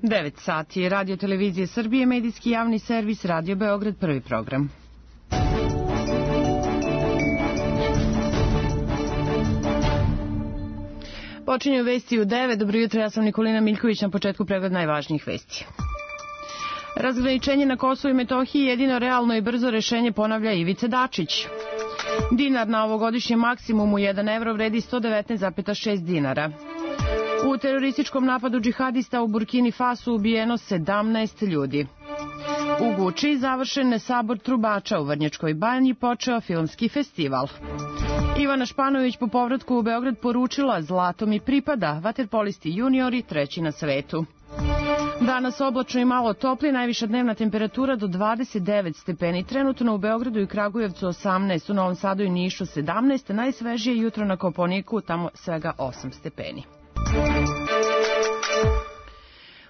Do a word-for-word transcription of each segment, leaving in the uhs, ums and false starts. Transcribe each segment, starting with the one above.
devet sati, Radio Televizije Srbije, medijski javni servis, Radio Beograd, prvi program. Počinju vesti u devet. Dobro jutro, ja sam Nikolina Miljković, na početku pregled najvažnijih vesti. Razgraničenje na Kosovu i Metohiji jedino realno i brzo rešenje, ponavlja Ivica Dačić. Dinar na ovogodišnjem maksimumu jedan evro vredi sto devetnaest zarez šest dinara. U terorističkom napadu džihadista u Burkini Fasu ubijeno sedamnaest ljudi. U Guči završen sabor trubača, u Vrnjačkoj banji počeo filmski festival. Ivana Španović po povratku u Beograd poručila: zlato mi pripada, vaterpolisti juniori treći na svetu. Danas oblačno i malo topli, najviša dnevna temperatura do dvadeset devet stepeni. Trenutno u Beogradu i Kragujevcu osamnaest, u Novom Sadu i Nišu sedamnaest, najsvežije jutro na Kopaoniku, tamo svega osam stepeni.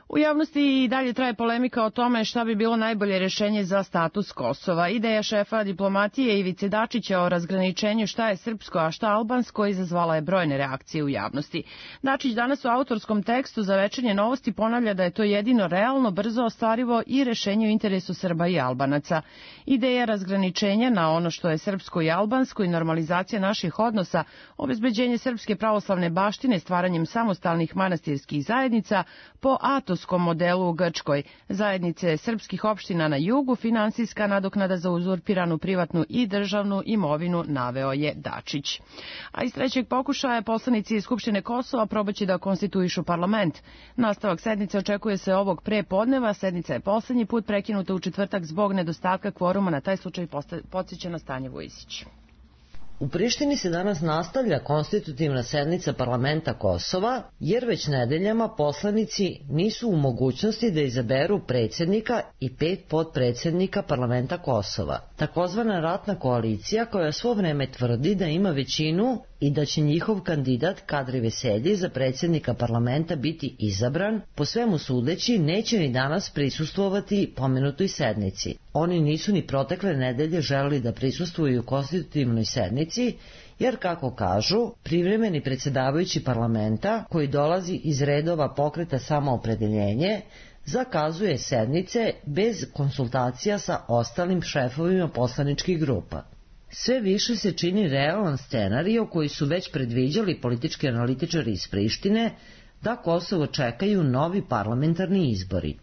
U javnosti i dalje traje polemika o tome šta bi bilo najbolje rešenje za status Kosova. Ideja šefa diplomatije Ivice Dačića o razgraničenju šta je srpsko, a šta albansko izazvala je brojne reakcije u javnosti. Dačić danas u autorskom tekstu za Večernje novosti ponavlja da je to jedino realno, brzo ostvarivo i rešenje u interesu Srba i Albanaca. Ideja razgraničenja na ono što je srpsko i albansko i normalizacija naših odnosa, obezbeđenje srpske pravoslavne baštine stvaranjem samostalnih manastirskih zajednica po Atos modelu u Grčkoj, zajednice srpskih opština na jugu, finansijska nadoknada za uzurpiranu privatnu i državnu imovinu, naveo je Dačić. A iz trećeg pokušaja poslanici Skupštine Kosova probaće da konstituišu parlament. Nastavak sednice očekuje se ovog pre podneva. Sednica je poslednji put prekinuta u četvrtak zbog nedostatka kvoruma. Na taj slučaj podsjeća na Stanje Vujisić. U Prištini se danas nastavlja konstitutivna sednica parlamenta Kosova, jer već nedeljama poslanici nisu u mogućnosti da izaberu predsjednika i pet potpredsjednika parlamenta Kosova. Takozvana ratna koalicija, koja svo vreme tvrdi da ima većinu i da će njihov kandidat Kadri Veselji za predsjednika parlamenta biti izabran, po svemu sudeći neće ni danas prisustvovati pomenutoj sednici. Oni nisu ni protekle nedelje želeli da prisustvuju konstitutivnoj sednici, jer, kako kažu, privremeni predsjedavajući parlamenta, koji dolazi iz redova Pokreta Samoopredeljenje, zakazuje sednice bez konsultacija sa ostalim šefovima poslaničkih grupa. Sve više se čini realan scenario koji su već predviđali politički analitičari iz Prištine, da Kosovo čekaju novi parlamentarni izbori.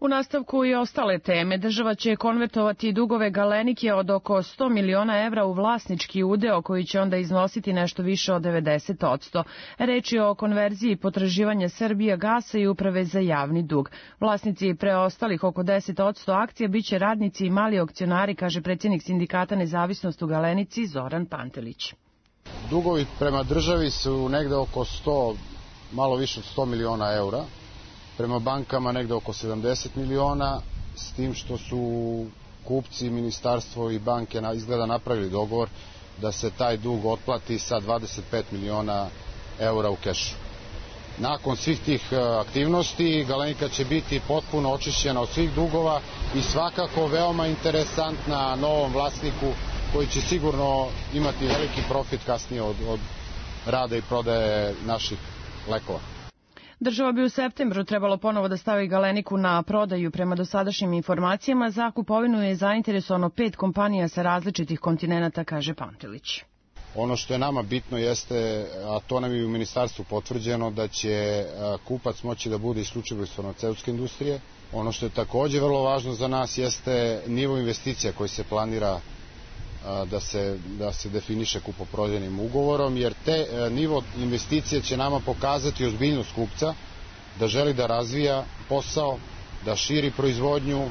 U nastavku i ostale teme, država će konvertovati dugove Galenike od oko sto miliona evra u vlasnički udeo koji će onda iznositi nešto više od devedeset odsto. Reč je o konverziji potraživanja Srbijagasa i Uprave za javni dug. Vlasnici preostalih oko deset odsto akcija biće radnici i mali akcionari, kaže predsjednik sindikata Nezavisnost u Galenici Zoran Pantelić. Dugovi prema državi su negde oko sto, malo više od sto miliona eura. Prema bankama negde oko sedamdeset miliona, s tim što su kupci, ministarstvo i banke izgleda napravili dogovor da se taj dug otplati sa dvadeset pet miliona eura u kešu. Nakon svih tih aktivnosti Galenika će biti potpuno očišćena od svih dugova i svakako veoma interesantna novom vlasniku koji će sigurno imati veliki profit kasnije od, od rada i prodaje naših lekova. Država bi u septembru trebalo ponovo da stavi Galeniku na prodaju. Prema dosadašnjim informacijama, za kupovinu je zainteresovano pet kompanija sa različitih kontinenata, kaže Pantelić. Ono što je nama bitno jeste, a to nam je u ministarstvu potvrđeno, da će kupac moći da bude isključivo iz farmaceutske industrije. Ono što je takođe vrlo važno za nas jeste nivo investicija koji se planira da se, da se definiše kupoprodajnim ugovorom, jer te nivo investicije će nama pokazati ozbiljnost kupca, da želi da razvija posao, da širi proizvodnju,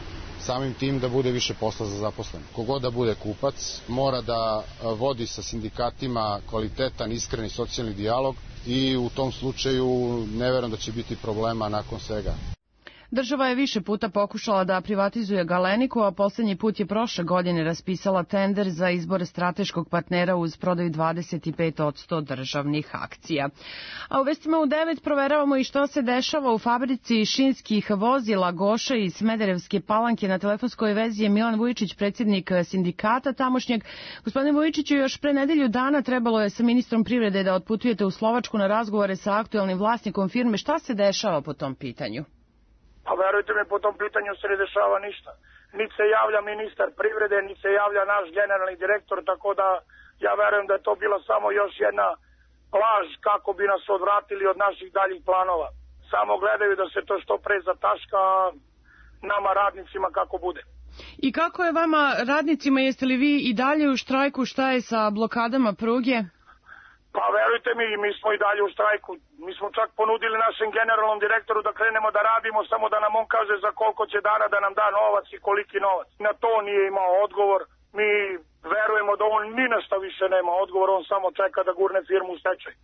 samim tim da bude više posla za zaposlene. Kogod da bude kupac mora da vodi sa sindikatima kvalitetan, iskreni socijalni dijalog i u tom slučaju ne verujem da će biti problema nakon svega. Država je više puta pokušala da privatizuje Galeniku, a poslednji put je prošle godine raspisala tender za izbor strateškog partnera uz prodaju dvadeset pet posto državnih akcija. A u vestima u devet proveravamo i što se dešava u fabrici šinskih vozila Goša iz Smederevske Palanke. Na telefonskoj vezi je Milan Vujičić, predsjednik sindikata tamošnjeg. Gospodine Vujičiću, još pre nedelju dana trebalo je sa ministrom privrede da otputujete u Slovačku na razgovore sa aktuelnim vlasnikom firme. Šta se dešava po tom pitanju? Pa verujte mi, po tom pitanju se ne dešava ništa. Niti se javlja ministar privrede, niti se javlja naš generalni direktor, tako da ja verujem da je to bila samo još jedna laž kako bi nas odvratili od naših daljih planova. Samo gledaju da se to što pre zataška nama radnicima kako bude. I kako je vama radnicima, jeste li vi i dalje u štrajku, šta je sa blokadama pruge? Pa verujte mi, mi smo i dalje u štrajku. Mi smo čak ponudili našem generalnom direktoru da krenemo da radimo, samo da nam on kaže za koliko će dana da nam da novac i koliki novac. Na to nije imao odgovor. Mi verujemo da on ni nešto više nema odgovor, on samo čeka da gurne firmu u stečaj.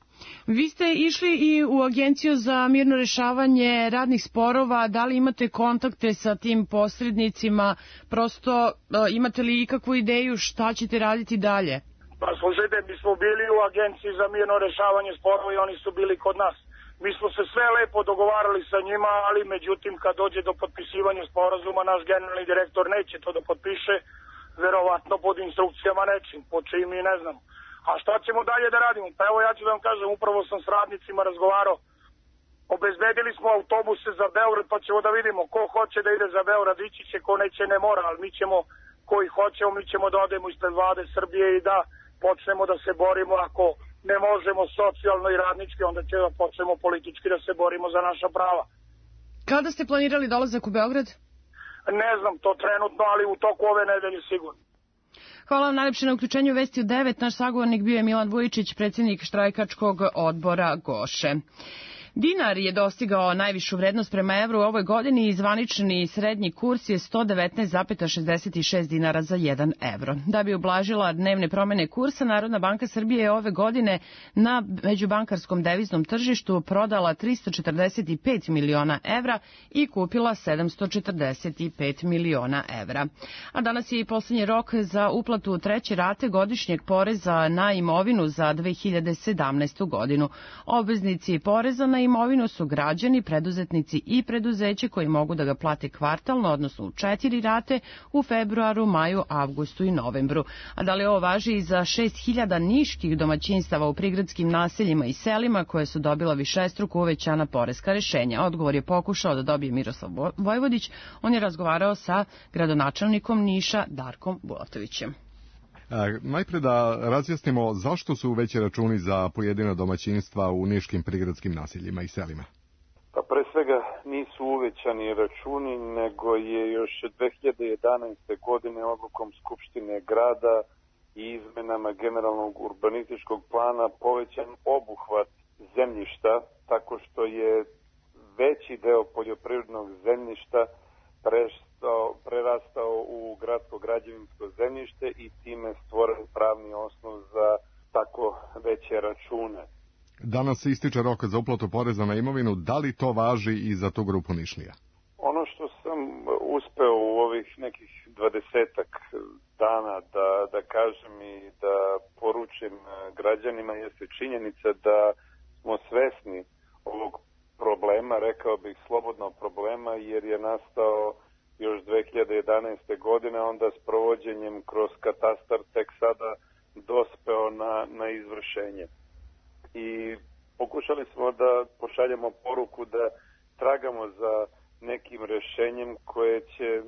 Vi ste išli i u Agenciju za mirno rešavanje radnih sporova. Da li imate kontakte sa tim posrednicima? Prosto imate li ikakvu ideju šta ćete raditi dalje? Pa slušajte, mi smo bili u Agenciji za mirno rešavanje sporova i oni su bili kod nas. Mi smo se sve lepo dogovarali sa njima, ali međutim kad dođe do potpisivanja sporazuma, naš generalni direktor neće to da potpiše, verovatno pod instrukcijama nečim, po čim mi ne znam. A šta ćemo dalje da radimo? Pa evo ja ću da vam kažem, upravo sam s radnicima razgovarao. Obezbedili smo autobuse za Beograd, pa ćemo da vidimo ko hoće da ide za Beograd, ići će, ko neće ne mora, ali mi ćemo, koji hoćemo, mi ćemo da odemo ispred vlade Srbije i da počnemo da se borimo. Ako ne možemo socijalno i radnički, onda će da počnemo politički da se borimo za naša prava. Kada ste planirali dolazak u Beograd? Ne znam to trenutno, ali u toku ove nedelje sigurno. Hvala vam najlepše na uključenju Vesti u devet. Naš sagovornik bio je Milan Vujičić, predsjednik štrajkačkog odbora Goše. Dinar je dostigao najvišu vrednost prema evru u ovoj godini i zvanični srednji kurs je sto devetnaest zarez šezdeset šest dinara za jedan evro. Da bi ublažila dnevne promene kursa, Narodna banka Srbije je ove godine na međubankarskom deviznom tržištu prodala tristo četrdeset pet miliona evra i kupila sedamsto četrdeset pet miliona evra. A danas je i poslednji rok za uplatu treće rate godišnjeg poreza na imovinu za dve hiljade sedamnaestu godinu. Obveznici poreza na imovinu su građani, preduzetnici i preduzeće koji mogu da ga plate kvartalno, odnosno u četiri rate u februaru, maju, avgustu i novembru. A da li ovo važi i za šest hiljada niških domaćinstava u prigradskim naseljima i selima koje su dobila višestruko uvećana poreska rešenja? Odgovor je pokušao da dobije Miroslav Vojvodić. On je razgovarao sa gradonačelnikom Niša Darkom Bulatovićem. E, najpre da razjasnimo zašto su veći računi za pojedina domaćinstva u niškim prigradskim naseljima i selima. Pa pre svega nisu uvećani računi, nego je još dve hiljade jedanaeste. godine odlukom Skupštine grada i izmenama generalnog urbanističkog plana povećan obuhvat zemljišta, tako što je veći deo poljoprivrednog zemljišta prestao, prerastao u gradsko građevinsko zemljište i time stvoren pravni osnov za tako veće račune. Danas se ističe rok za uplatu poreza na imovinu. Da li to važi i za tu grupu Nišlija? Ono što sam uspeo u ovih nekih dvadesetak dana da, da kažem i da poručim građanima jeste činjenica da smo svesni ovog problema, rekao bih slobodno problema, jer je nastao još dve hiljade jedanaeste. godine, onda s provođenjem kroz katastar tek sada dospeo na, na izvršenje. I pokušali smo da pošaljemo poruku da tragamo za nekim rešenjem koje će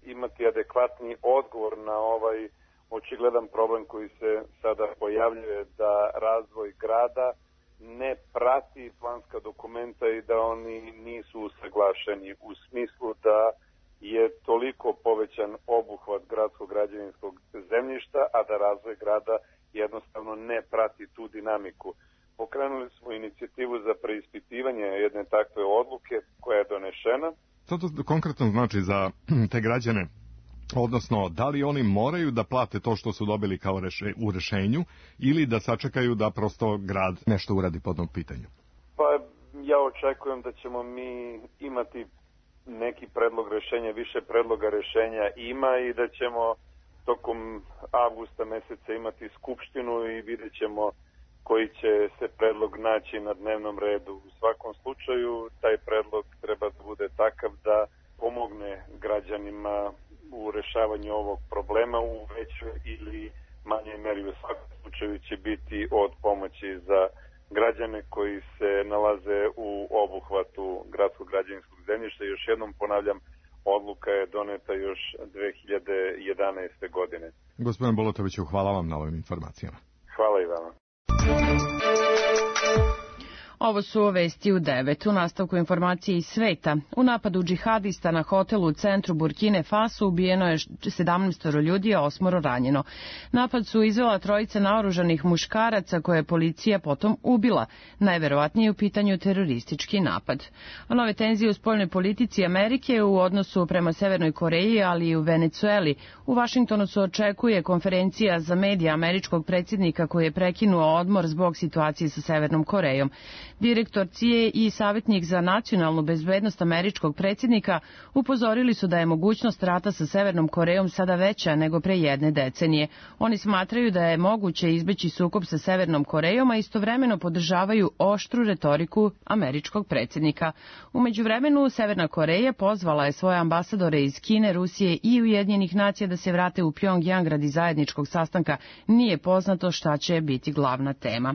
imati adekvatni odgovor na ovaj očigledan problem koji se sada pojavljuje, da razvoj grada ne prati planska dokumenta i da oni nisu usaglašeni u smislu da je toliko povećan obuhvat gradskog građevinskog zemljišta, a da razvoj grada jednostavno ne prati tu dinamiku. Pokrenuli smo inicijativu za preispitivanje jedne takve odluke koja je donešena. Što to konkretno znači za te građane? Odnosno, da li oni moraju da plate to što su dobili kao reše, u rešenju ili da sačekaju da prosto grad nešto uradi po tom pitanju? Pa ja očekujem da ćemo mi imati neki predlog rešenja, više predloga rešenja ima i da ćemo tokom avgusta meseca imati skupštinu i vidjet ćemo koji će se predlog naći na dnevnom redu. U svakom slučaju taj predlog treba da bude takav da pomogne građanima u rešavanju ovog problema u većoj ili manjoj meri. U svakom slučaju će biti od pomoći za građane koji se nalaze u obuhvatu gradskog građevinskog zemljišta. Još jednom ponavljam, odluka je doneta još dve hiljade jedanaeste. godine. Gospodine Bulatoviću, hvala vam na ovim informacijama. Hvala i vama. Ovo su vesti u devet. U nastavku informacije iz sveta. U napadu džihadista na hotelu u centru Burkine Faso ubijeno je sedamnaest ljudi, a osmoro ranjeno. Napad su izvela trojica naoružanih muškaraca koje je policija potom ubila. Najverovatnije u pitanju teroristički napad. A nove tenzije u spoljnoj politici Amerike u odnosu prema Severnoj Koreji, ali i u Venecueli. U Vašingtonu se očekuje konferencija za medije američkog predsjednika koji je prekinuo odmor zbog situacije sa Severnom Korejom. Direktor C I A i savjetnik za nacionalnu bezbednost američkog predsjednika upozorili su da je mogućnost rata sa Severnom Korejom sada veća nego pre jedne decenije. Oni smatraju da je moguće izbeći sukob sa Severnom Korejom, a istovremeno podržavaju oštru retoriku američkog predsjednika. U međuvremenu, Severna Koreja pozvala je svoje ambasadore iz Kine, Rusije i Ujedinjenih nacija da se vrate u Pjongjang radi zajedničkog sastanka. Nije poznato šta će biti glavna tema.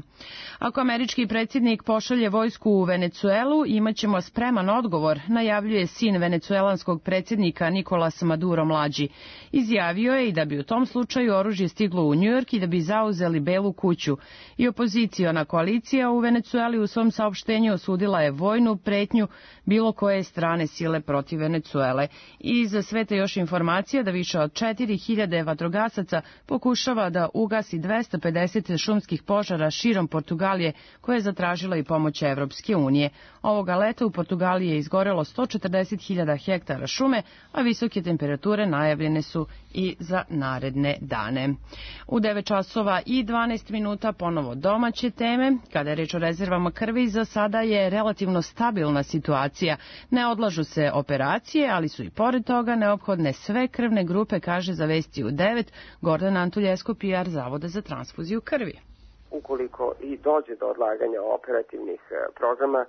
Ako američki predsjednik pošalje vojsku u Venecuelu, imaćemo spreman odgovor, najavljuje sin venecuelanskog predsjednika Nikolas Maduro mlađi. Izjavio je i da bi u tom slučaju oružje stiglo u Njujork i da bi zauzeli Belu kuću. I opoziciona koalicija u Venecueli u svom saopštenju osudila je vojnu pretnju bilo koje strane sile protiv Venecuele. I za sve te još informacija da više od četiri hiljade vatrogasaca pokušava da ugasi dvesta pedeset šumskih požara širom Portugalije, koje je zatražila i pomoć Evropske unije. Ovoga leta u Portugaliji je izgorelo sto četrdeset hiljada hektara šume, a visoke temperature najavljene su i za naredne dane. U devet časova i dvanaest minuta ponovo domaće teme. Kada je reč o rezervama krvi, za sada je relativno stabilna situacija. Ne odlažu se operacije, ali su i pored toga neophodne sve krvne grupe, kaže za Vesti u devet Gordana Antuljesko, P R Zavoda za transfuziju krvi. Ukoliko i dođe do odlaganja operativnih programa,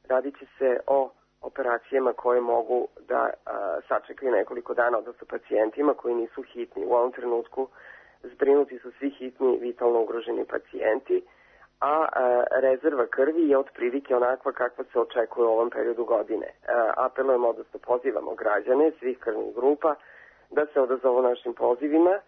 radit će se o operacijama koje mogu da a, sačekaju nekoliko dana, odnosno pacijentima koji nisu hitni. U ovom trenutku zbrinuti su svi hitni, vitalno ugroženi pacijenti, a, a rezerva krvi je otprilike onakva kakva se očekuje u ovom periodu godine. A, apelujemo, odnosno pozivamo građane svih krvnih grupa da se odazovu našim pozivima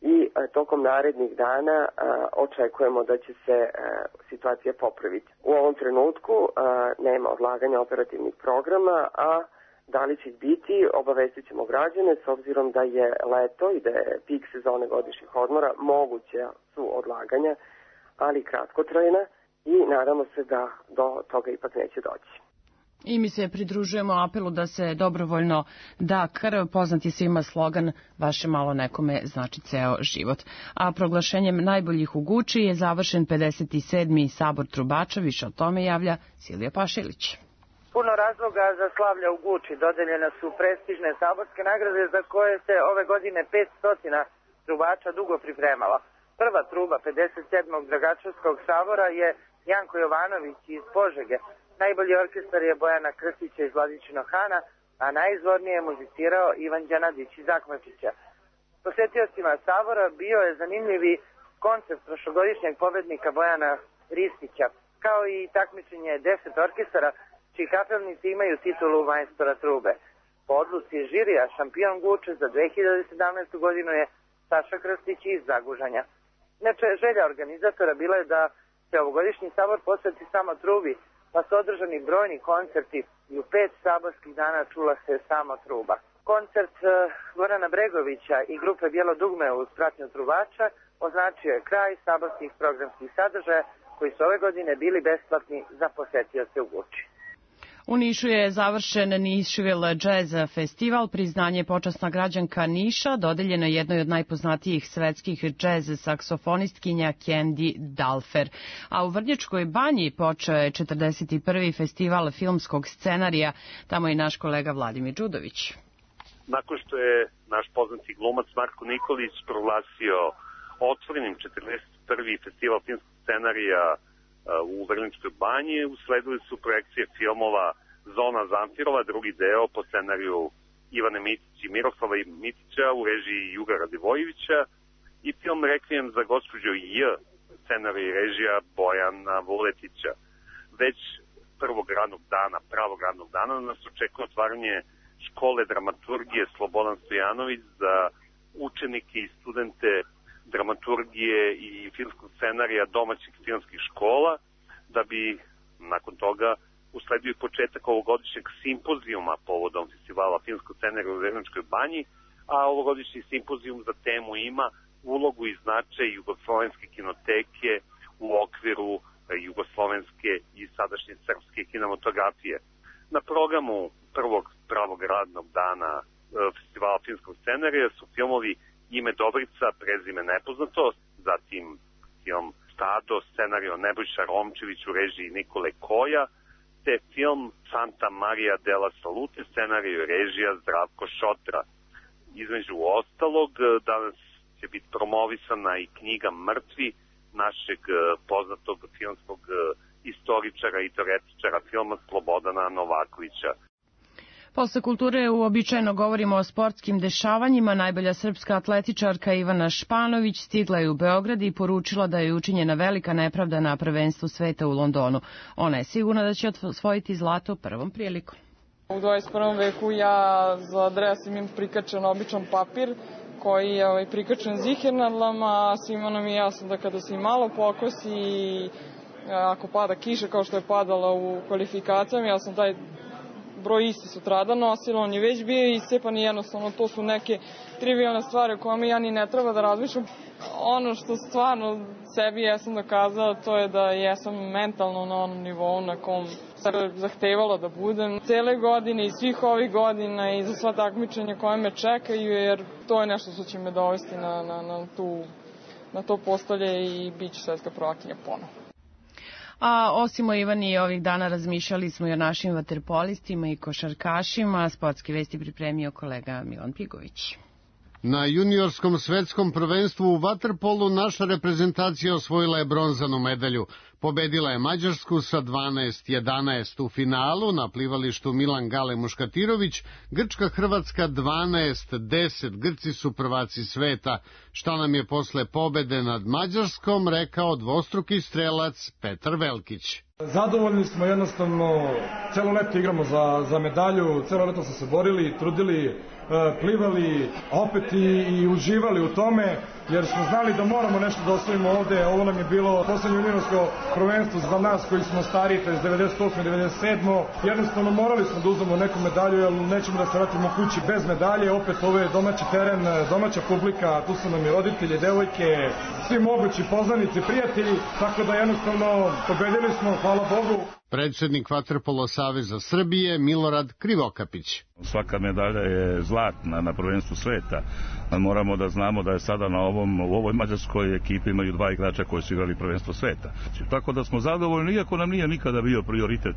i a, tokom narednih dana a, očekujemo da će se a, situacija popraviti. U ovom trenutku a, nema odlaganja operativnih programa, a da li će biti, obavestit ćemo građane s obzirom da je leto i da je pik sezone godišnjih odmora, moguće su odlaganja, ali kratkotrajna i nadamo se da do toga ipak neće doći. I mi se pridružujemo apelu da se dobrovoljno da krv. Poznat je svima slogan "Vaše malo nekome znači ceo život". A proglašenjem najboljih u Guči je završen pedeset sedmi sabor trubača. Više o tome javlja Silvija Pašilić. Puno razloga za slavlja u Guči. Dodeljene su prestižne saborske nagrade za koje se ove godine petsto trubača dugo pripremala. Prva truba pedeset sedmog Dragačevskog sabora je Janko Jovanović iz Požege. Najbolji orkestar je Bojana Krstića iz Vladičinog Hana, a najizvornije je muzicirao Ivan Đanadić iz Akmačića. Posetiocima sabora bio je zanimljivi koncert prošlogodišnjeg pobednika Bojana Ristića, kao i takmičenje deset orkestara čiji kapelnici imaju titulu majstora trube. Po odluci žirija šampion Guče za dve hiljade sedamnaestu. godinu je Saša Krstić iz Zagužanja. Inače, želja organizatora bila je da se ovogodišnji sabor posveti samo trubi, pa su održani brojni koncerti i u pet saborskih dana čula se samo truba. Koncert uh, Gorana Bregovića i grupe Bijelo dugme uz pratnju trubača označio je kraj saborskih programskih sadržaja koji su ove godine bili besplatni za posetioce u Guči. U Nišu je završen Nišville Jazz festival, priznanje počasna građanka Niša, dodeljeno jednoj od najpoznatijih svetskih jazz saksofonistkinja Candy Dalfer. A u Vrnjačkoj banji počeo je četrdeset prvi festival filmskog scenarija, tamo je naš kolega Vladimir Đudović. Nakon što je naš poznati glumac Marko Nikolić proglasio otvorenim četrdeset prvi festival filmskog scenarija u Vrnjačkoj banji, usledili su projekcije filmova Zona Zamfirova, drugi deo po scenariju Ivane Mitić i Miroslava Mitića u režiji Juga Radivojevića i film Rekvijem za gospođu J, scenarij i režija Bojana Vuletića. Već prvog radnog dana, pravog radnog dana, nas očekuje otvaranje škole dramaturgije Slobodan Stojanović za učenike i studente dramaturgije i filmskog scenarija domaćih filmskih škola, da bi nakon toga usledio i početak ovogodišnjeg simpozijuma povodom festivala filmskog scenarija u Vrnjačkoj banji, a ovogodišnji simpozijum za temu ima ulogu i značaj jugoslovenske kinoteke u okviru jugoslovenske i sadašnje srpske kinematografije. Na programu prvog pravog radnog dana festivala filmskog scenarija su filmovi Ime Dobrica, prezime nepoznato, zatim film Stado, scenarij Nebojša Romčević u režiji Nikole Koja, te film Santa Maria della Salute, scenarij i režija Zdravko Šotra. Između ostalog, danas će biti promovisana i knjiga Mrtvi našeg poznatog filmskog istoričara i teoretičara filma Slobodana Novakovića. Posle kulture uobičajeno govorimo o sportskim dešavanjima. Najbolja srpska atletičarka Ivana Španović stigla je u Beograd i poručila da je učinjena velika nepravda na prvenstvu sveta u Londonu. Ona je sigurna da će osvojiti zlato prvom prilikom. U dvadeset prvom veku ja za dres imam prikačen običan papir koji je ovaj, prikačen zihernadlama, a svima nam je jasno da kada se i malo pokosi i ako pada kiša kao što je padala u kvalifikacijama, ja sam taj broj isti sutrada nosila, on je već bio iscepan i jednostavno to su neke trivialne stvari o kojima ja ni ne treba da razmišljam. Ono što stvarno sebi jesam dokazala to je da jesam mentalno na onom nivou na kom se zahtevalo da budem cele godine i svih ovih godina i za sva takmičenja koje me čekaju, jer to je nešto što će me dovesti na, na, na, tu, na to postolje i bit ću svetska prvakinja ponovo. A osim o Ivani ovih dana razmišljali smo i o našim vaterpolistima i košarkašima. Sportske vesti pripremio kolega Milan Pigović. Na juniorskom svetskom prvenstvu u vaterpolu naša reprezentacija osvojila je bronzanu medalju. Pobedila je Mađarsku sa dvanaest jedanaest u finalu na plivalištu Milan Gale Muškatirović, Grčka Hrvatska dvanaest deset, Grci su prvaci sveta. Šta nam je posle pobede nad Mađarskom rekao dvostruki strelac Petar Velkić. Zadovoljni smo, jednostavno, celo leto igramo za, za medalju, celo leto smo se borili, trudili, plivali, opet i, i uživali u tome, jer smo znali da moramo nešto da osvojimo ovde. Ovo nam je bilo poslednje juniorsko prvenstvo za nas koji smo stariji, to je devedeset osme devedeset sedme Jednostavno morali smo da uzmemo neku medalju, jer nećemo da se vratimo kući bez medalje. Opet ovo je domaći teren, domaća publika, tu su nam i roditelji, devojke, svi mogući poznanici, prijatelji, tako da jednostavno pobedili smo, hvala Bogu. Predsednik Vaterpolo saveza Srbije Milorad Krivokapić. Svaka medalja je zlatna na prvenstvu sveta. Moramo da znamo da je sada na ovom, u ovoj mađarskoj ekipi imaju dva igrača koji su igrali prvenstvo sveta. Tako da smo zadovoljni, iako nam nije nikada bio prioritet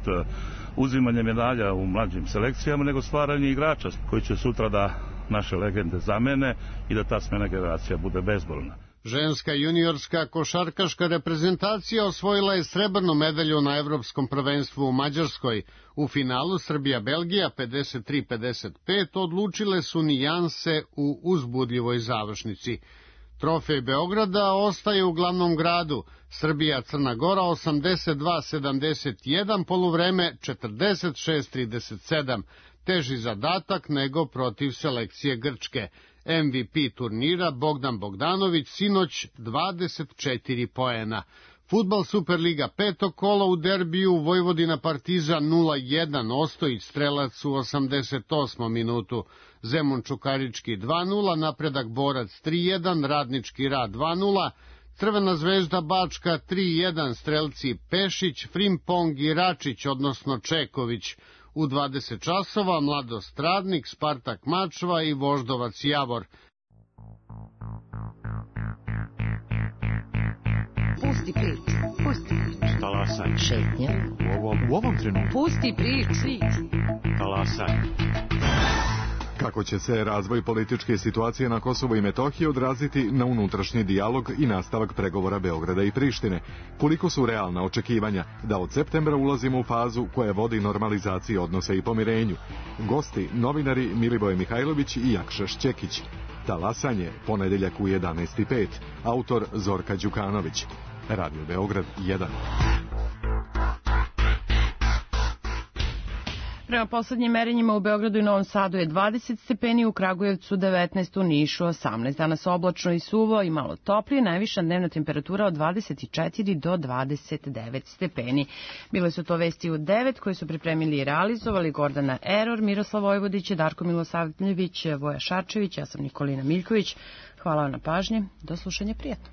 uzimanje medalja u mlađim selekcijama, nego stvaranje igrača koji će sutra da naše legende zamene i da ta smena generacija bude bezbolna. Ženska juniorska košarkaška reprezentacija osvojila je srebrnu medalju na evropskom prvenstvu u Mađarskoj. U finalu Srbija-Belgija pedeset tri pedeset pet odlučile su nijanse u uzbudljivoj završnici. Trofej Beograda ostaje u glavnom gradu. Srbija-Crna Gora osamdeset dva sedamdeset jedan, poluvreme četrdeset šest trideset sedam. Teži zadatak nego protiv selekcije Grčke. M V P turnira Bogdan Bogdanović sinoć dvadeset četiri poena. Fudbal Superliga peto kolo u derbiju Vojvodina Partizan nula jedan, Ostojić strelac u osamdeset osmom minutu. Zemun Čukarički dva nula, Napredak Borac tri jedan, Radnički Rad dva nula, Crvena zvezda Bačka tri jedan, strelci Pešić, Frimpong i Račić, odnosno Čeković. U dvadeset časova Mladost Radnik, Spartak Mačva i Voždovac Javor. Pusti priču, pusti priču. Talasaj. Šetnja. U ovom, u ovom trenutku. Pusti priču. Talasaj. Kako će se razvoj političke situacije na Kosovu i Metohiji odraziti na unutrašnji dijalog i nastavak pregovora Beograda i Prištine? Koliko su realna očekivanja da od septembra ulazimo u fazu koja vodi normalizaciji odnosa i pomirenju? Gosti, novinari Milivoje Mihajlović i Jakša Šćekić. Talasanje, ponedeljak u jedanaest i pet. Autor Zorka Đukanović. Radio Beograd jedan. Prema poslednjim merenjima u Beogradu i Novom Sadu je dvadeset stepeni, u Kragujevcu devetnaest, u Nišu osamnaest. Danas oblačno i suvo i malo toplije, najviša dnevna temperatura od dvadeset četiri do dvadeset devet stepeni. Bile su to vesti u devet koje su pripremili i realizovali Gordana Eror, Miroslav Vojvodić, Darko Milosavljević, Voja Šarčević, ja sam Nikolina Miljković. Hvala vam na pažnji, do slušanja, prijatno.